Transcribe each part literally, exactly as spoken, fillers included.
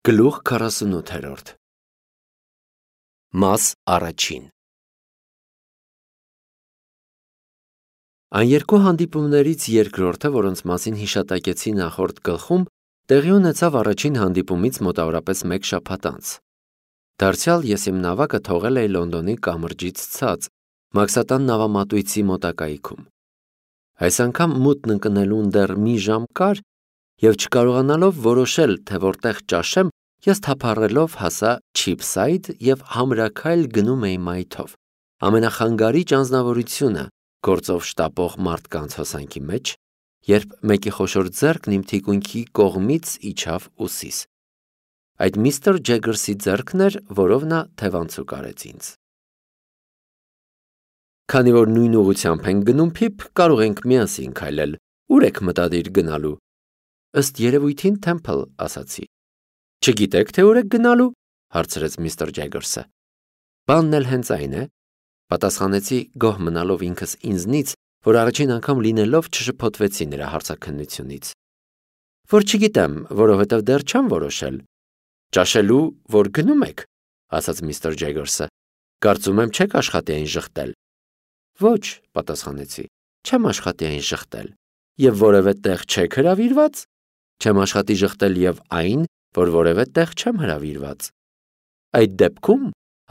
Գլուխ քառասունութերորդ Մաս առաջին Այն երկու հանդիպումներից երկրորդը, որոնց մասին հիշատակեցի նախորդ գլխում, տեղի ունեցավ առաջին հանդիպումից մոտավորապես մեկ շաբաթ անց։ Դարձյալ ես իմ նավակը թողել էի Լոնդոնի կամրջից ցած, Մաքսատան նավամատույցի մոտակայքում։ Այս անգամ մութն ընկնելուն դեռ մի ժամ կար, և չկարողանալով որոշել, թե որտեղ ճաշեմ, ես թափառելով հասա Չիփսայդ և համրաքայլ գնում էի մայթով, ամենախանգարիճ անձնավորությունը գործով շտապող մարդկանց հոսանքի մեջ, երբ մեկի խոշոր ձեռքն իմ թիկունքի կողմից իջավ ուսիս։ Այդ միստր Ջեգերսի ձեռքն էր, որով նա թևանցուկ արեց ինձ։ Քանի որ նույն ուղղությամբ ենք գնում, Փիփ, կարող ենք միասին քայլել, ուր եք մտադիր գնալու։ Ըստ երևույթին Թեմփլ, ասացի։ Չգիտեք, թե ուր եք գնալու, հարցրեց միստր Ջեգերսը։ Բանն էլ հենց այն է, պատասխանեցի գոհ մնալով ինքս ինձնից, որ առաջին անգամ լինելով չշփոթվեցի նրա հարցաքննությունից։ Որ չգիտեմ, որովհետև դեռ չեմ որոշել։ Ճաշելու, որ գնում եք, ասաց միստր Ջեգերսը։ Կարծում եմ չեք աշխատի այն ժխտել։ Ոչ, պատասխանեցի, չեմ աշխատի այն ժխտել։ Եվ որևէ տեղ չեք հրավիրված։ Չեմ աշխատի ժխտել և այն, որ որևէ տեղ չեմ հրավիրված։ Այդ դեպքում,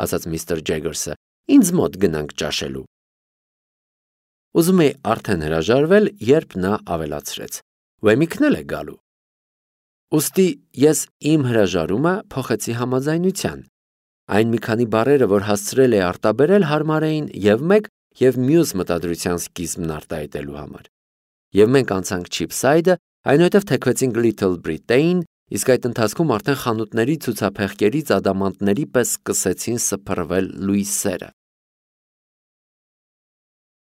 ասաց միստր Ջեգերսը, ինձ մոտ գնանք ճաշելու։ Ուզում էի արդեն հրաժարվել, երբ նա ավելացրեց. Ուեմիքն էլ է գալու։ Ուստի ես իմ հրաժարումը փոխեցի համաձայնության։ Այն մի քանի բառերը, որ հասցրել էի արտաբերել, հարմար էին և մեկ, և մյուս մտադրության սկիզբն արտահայտելու համար։ Եվ մենք անցանք Չիփսայդը, այնուհետև թեքվեցինք Լիթլ Բրիտեյն, իսկ այդ ընթացքում արդեն խանութների ցուցափեղկերից ադամանդների պես սկսեցին սփռվել լույսերը։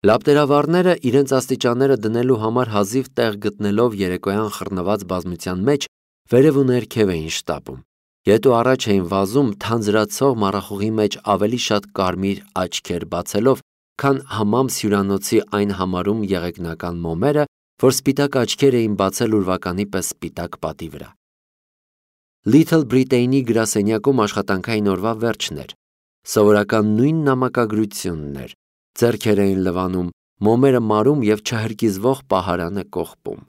Լապտերավառները իրենց աստիճանները դնելու համար հազիվ տեղ գտնելով երեկոյան խռնված բազմության մեջ վերև ու ներքև էին շտապում, ետ ու առաջ էին վազում թանձրացող մառախուղի մեջ ավելի շատ կարմիր աչքեր բացելով, քան համամս հյուրանոցի այն համարում եղեգնական մոմերը, որ սպիտակ աչքեր էին բացել ուրվականի պես սպիտակ պատի վրա։ Լիթլ Բրիտեյնի գրասենյակում աշխատանքային օրվա վերջն էր, սովորական նույն նամակագրությունն էր, ձեռքեր էին լվանում, մոմերը մարում և չհրկիզվող պահարանը կողպում։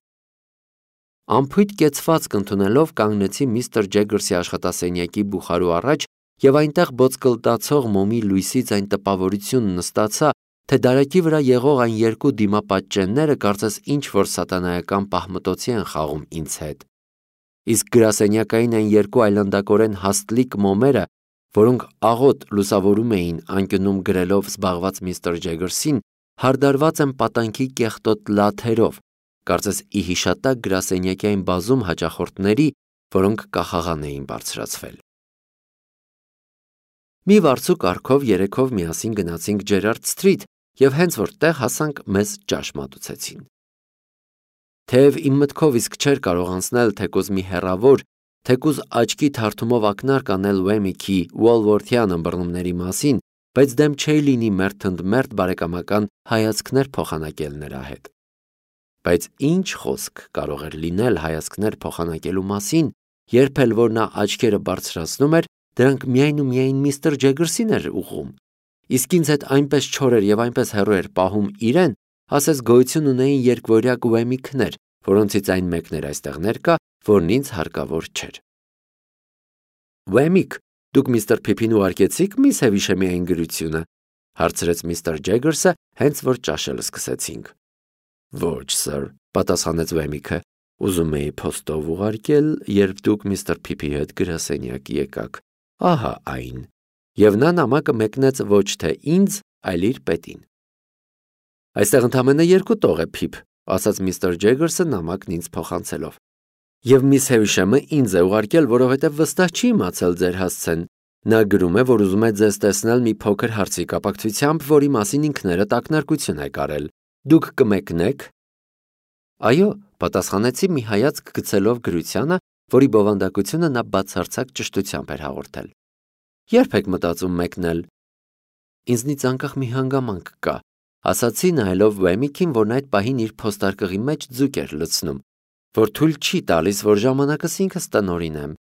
Անփույթ կեցվածք ընդունելով կանգնեցի միստր Ջեգերսի աշխատասենյակի բուխարու առաջ և այնտեղ ոտկլտացող մոմի լույսից այն տպավորությունն ստացա, թե դարակի վրա եղող այն երկու դիմապատճենները կարծես ինչ-որ սատանայական պահմտոցի են խաղում ինձ հետ։ Իսկ գրասենյակային այն երկու այլանդակորեն հաստլիկ մոմերը, որոնք աղոտ լուսավորում էին անկյունում գրելով զբաղված միստր Ջեգերսին, հարդարված են պատանքի կեղտոտ լաթերով, կարծես ի հիշատակ գրասենյակի այն բազում հաճախորդների, որոնք կախաղան էին բարձրացվել։ Մի վարձու կարգով երեքով միասին գնացինք Ջերարդ Սթրիթ և հենց որ տեղ հասանք, մեզ ճաշ մատուցեցին։ Թեև իմ մտքով իսկ չէր կարող անցնել թեկուզ մի հեռավոր, թեկուզ աչքի թարթումով ակնարկ անել Ուեմիքի Ուոլվորթյան ըմբռնումների մասին, բայց դեմ չէի լինի մերթ ընդ մերթ բարեկամական հայացքներ փոխանակել նրա հետ։ Բայց ինչ խոսք կարող էր լինել հայացքներ փոխանակելու մասին, երբ էլ որ նա աչքերը բարձրացնում էր, դրանք միայն ու միայն միստր Ջեգերսին էր ուղղում, իսկ ինձ հետ այնպես չոր էր և այնպես հեռու էր պահում իրեն, ասես գոյություն ունեին երկվորյակ Ուեմիքներ, որոնցից այն մեկն էր այստեղ ներկա, որն ինձ հարկավոր չէր։ Ուեմիք, դուք միստր Փիփին ուղարկեցիք միս Հևիշեմի այն գրությունը, հարցրեց միստր Ջեգերսը, հենց որ ճաշել սկսեցինք։ Ոչ, սըր, պատասխանեց Ուեմիքը, ուզում էի փոստով ուղարկել, երբ դուք միստր Փիփի հետ գրասենյակ եկաք, ահա այն, և նա նամակը մեկնեց ոչ թե ինձ, այլ իր պետին։ Այստեղ ընդամենը երկու տող է, Փիփ, ասաց միստր Ջեգերսը նամակն ինձ փոխանցելով։ Եվ միս Հևիշեմը ինձ է ուղարկել, որովհետև վստահ չի իմացել ձեր հասցեն։ Նա գրում է, որ ուզում է ձեզ տեսնել մի փոքր հարցի կապակցությամբ, որի մասին ինքներդ ակնարկություն եք արել։ Դուք կմեկնեք։ Այո, պատասխանեցի մի հայացք գցելով գրությանը, որի բովանդակությունը նա բացարձակ ճշտությամբ էր հաղորդել։ Երբ եք մտածում մեկնել։ Ինձնից անկախ մի հանգամանք կա, ասացի նայելով Ուեմիքին, որն այդ պահին իր փոստարկղի մեջ ձուկ էր լցնում, որ թույլ չի տալիս, որ ժամանակս ինքս տնօրինեմ,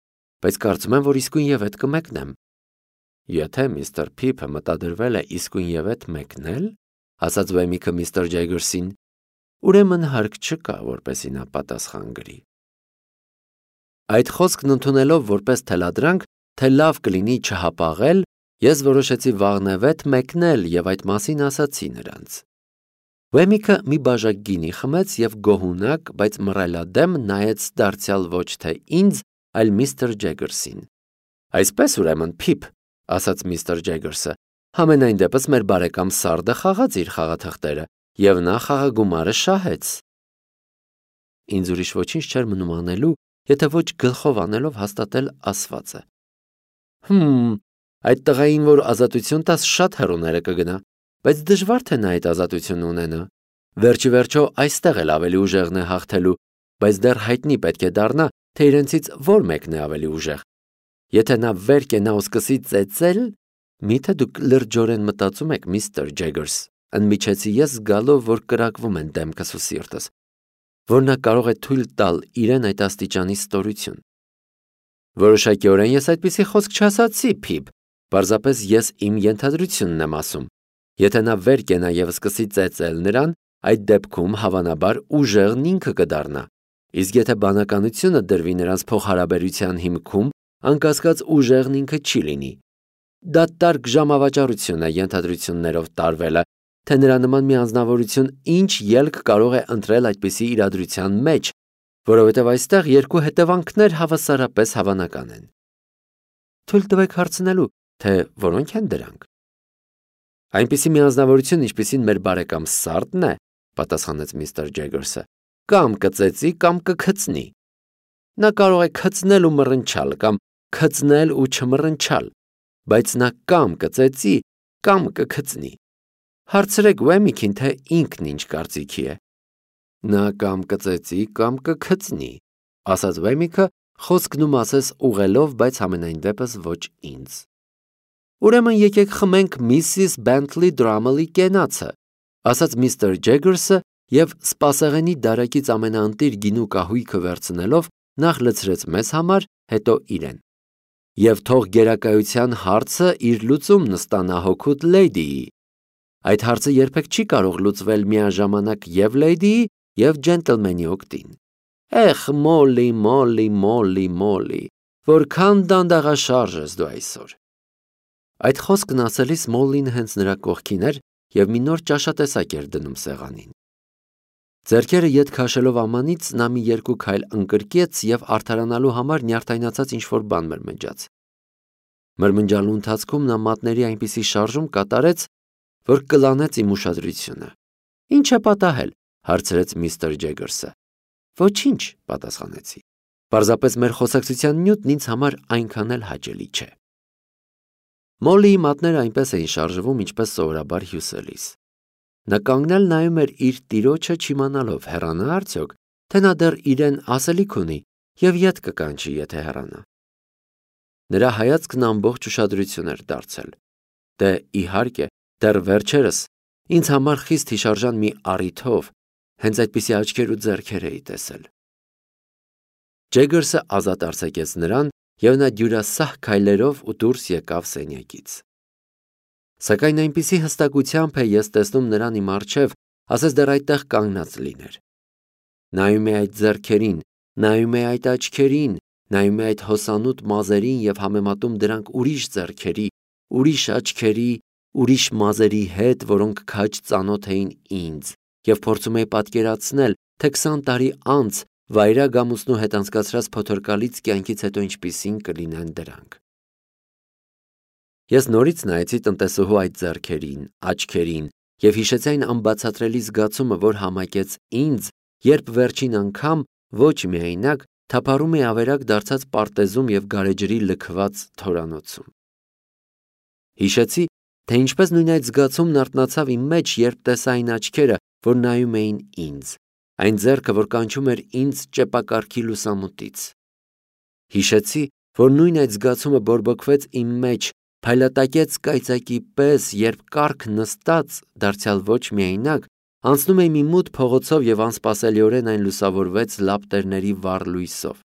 բայց կարծում եմ, որ իսկույնևեթ կմեկնեմ։ Եթե միստր Փիփը մտադրվել է իսկույնևեթ մեկնել, ասաց Վեմիկը միստր Ջեգերսին, ուրեմն հարկ չկա, որպեսզի նա պատասխան գրի։ Այդ խոսքն ընդունելով որպես թելադրանք, թե լավ կլինի չհապաղել, ես որոշեցի վաղնևեթ մեկնել և այդ մասին ասացի նրանց։ Վեմիկը մի բաժակ գինի խմեց և գոհունակ, բայց մռայլադեմ նայեց դարձյալ ոչ թե ինձ, այլ միստր Ջեգերսին։ Այսպես ուրեմն, Փիփ, ասաց միստր Ջեգերսը, համենայն դեպս մեր բարեկամ Սարդը խաղաց իր խաղաթղթերը և նա խաղագումարը շահեց։ Ինձ ուրիշ ոչինչ չէր մնում անելու, եթե ոչ գլխով անելով հաստատել ասվածը։ Հմ, այդ տղային, որ ազատություն տաս, շատ հեռուները կգնա, բայց դժվար թե նա այդ ազատությունը ունենա։ Վերջի վերջո այստեղ էլ ավելի ուժեղն է հաղթելու, բայց դեռ հայտնի պետք է դառնա, թե իրենցից որ մեկն է ավելի ուժեղ։ Եթե նա վեր կենա ու սկսի ծեծել, միթե դուք լրջորեն մտածում եք, միստր Ջեգերս, ընդմիջեցի ես զգալով, որ կրակվում են դեմքս ու սիրտս, որ նա կարող է թույլ տալ իրեն այդ աստիճանի ստորություն։ Որոշակիորեն ես այդպիսի խոսք չասացի, Փիփ, պարզապես ես իմ ենթադրությունն եմ ասում։ Եթե նա վեր կենա և սկսի ծեծել նրան, այդ դեպքում հավանաբար ուժեղն ինքը կդառնա, իսկ եթե բանականությունը դրվի նրանց փոխհարաբերության հիմքում, անկասկած ուժեղն ինքը չի լինի։ Դա տարգ ժամավաճառություն է ենթադրություններով տարվելը, թե նրա նման մի անձնավորություն ինչ ելք կարող է ընտրել այդպիսի իրադրության մեջ, որովհետև այստեղ երկու հետևանքներ հավասարապես հավանական են։ Թույլ տվեք հարցնելու, թե որոնք են դրանք։ Այնպիսի մի անձնավորություն, ինչպիսին մեր բարեկամ Սարդն է, պատասխանեց միստր Ջեգերսը, կամ կծեծի, կամ կքծնի։ Նա կարող է քծնել ու մռնչալ, կամ քծնել ու չմռնչալ, բայց նա կամ կծեծի, կամ կքծնի։ Հարցրեք Վեմիկին, թե ինքն ինչ կարծիքի է։ Նա կամ կծեծի, կամ կքծնի, ասաց Վեմիկը, խոսքն ու մասես ուղղելով, բայց համենայն դեպս ոչ ինձ։ Ուրեմն եկեք խմենք միսիս Բենթլի Դրամելի կենացը, ասաց միստր Ջեգերսը և սպասեղենի դարակից ամենաընտիր գինու կահույքը վերցնելով նախ լցրեց մեզ համար, հետո իրեն։ Եվ թող գերակայության հարցը իր լուծումն ստանա հոգուտ լեյդիի։ Այդ հարցը երբեք չի կարող լուծվել միաժամանակ և լեյդիի, և ջենտլմենի օգտին։ Էխ, Մոլլի, Մոլլի, Մոլլի, Մոլլի, որքան դանդաղաշարժ ես դու այսօր։ Այդ խոսքն ասելիս Մոլլին հենց նրա կողքին էր և մի նոր ճաշատեսակ էր դնում սեղանին։ Ձեռքերը ետ քաշելով ամանից նա մի երկու քայլ ընկրկեց և արդարանալու համար նյարդայնացած ինչ-որ բան մրմնջաց։ Մրմնջալու ընթացքում նա մատների այնպիսի շարժում կատարեց, որ կլանեց իմ ուշադրությունը։ Ինչ է պատահել, հարցրեց միստր Ջեգերսը։ Ոչինչ, պատասխանեցի։ Պարզապես մեր խոսակցության նյութն ինձ համար այնքան էլ հաճելի չէ։ Մոլլիի մատները այնպես էին շարժվում, ինչպես սովորաբար հյուսելիս։ Նա կանգնել նայում էր իր տիրոջը չիմանալով հեռանա արդյոք, թե նա դեռ իրեն ասելիք ունի և ետ կկանչի, եթե հեռանա։ Նրա հայացքն ամբողջ ուշադրություն էր դարձել։ Դե իհարկե, դեռ վերջերս ինձ համար խիստ հիշարժան մի առիթով հենց այդպիսի աչքեր ու ձեռքեր էի տեսել։ Ջեգերսը ազատ արձակեց նրան, և նա դյուրասահ քայլերով ու դուրս եկավ սենյակից։ Սակայն այնպիսի հստակությամբ է ես տեսնում նրան իմ առջև, ասես դեռ այդտեղ կանգնած լիներ։ Նայում է այդ ձեռքերին, նայում է այդ աչքերին, նայում է այդ հոսանոտ մազերին և համեմատում դրանք ուրիշ ձեռքերի, ուրիշ աչքերի, ուրիշ մազերի հետ, որոնք քաջ ծանոթ էին ինձ, և փորձում է պատկերացնել, թե քսան տարի անց վայրագ ամուսնու հետ անցկացրած փոթորկալից կյանքից հետո ինչպիսին կլինեն դրանք։ Ես նորից նայեցի տնտեսուհու այդ ձեռքերին, աչքերին և հիշեցի այն անբացատրելի զգացումը, որ համակեց ինձ, երբ վերջին անգամ ոչ միայնակ թափառում էի ավերակ դարձած պարտեզում և գարեջրի լքված թորանոցում։ Հիշեցի, թե ինչպես նույն այդ զգացումն արթնացավ իմ մեջ, երբ տեսա այն աչքերը, որ նայում էին ինձ, այն ձեռքը, որ կանչում էր ինձ ճեպակառքի լուսամուտից։ Հիշեցի, որ նույն այդ զգացումը բորբոքվեց իմ մեջ, փայլատակեց կայծակի պես, երբ կառք նստած, դարձյալ ոչ միայնակ, անցնում էի մի մութ փողոցով և անսպասելիորեն այն լուսավորվեց լապտերների վառ լույսով։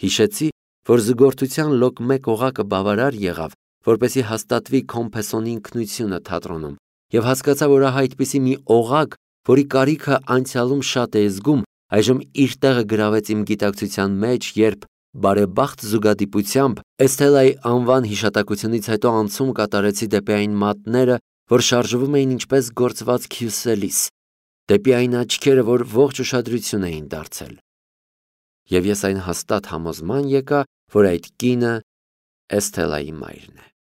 Հիշեցի, որ զուգորդության լոկ մեկ օղակը բավարար եղավ, որպեսզի հաստատվի Կոմփեսոնի ինքնությունը թատրոնում, եւ հասկացա, որ ահա այդպիսի մի օղակ, որի կարիքը անցյալում շատ էի զգում, այժմ իր տեղը գրավեց իմ գիտակցության մեջ, երբ բարեբախտ զուգադիպությամբ Էսթելայի անվան հիշատակությունից հետո անցում կատարեցի դեպի այն մատները, որ շարժվում էին ինչպես գործված քյուսելիս, դեպի այն աչքերը, որ ողջ ուշադրություն էին դարձել։ Եվ ես այն հաստատ համոզման եկա, որ այդ կինը Էսթելայի մայրն է։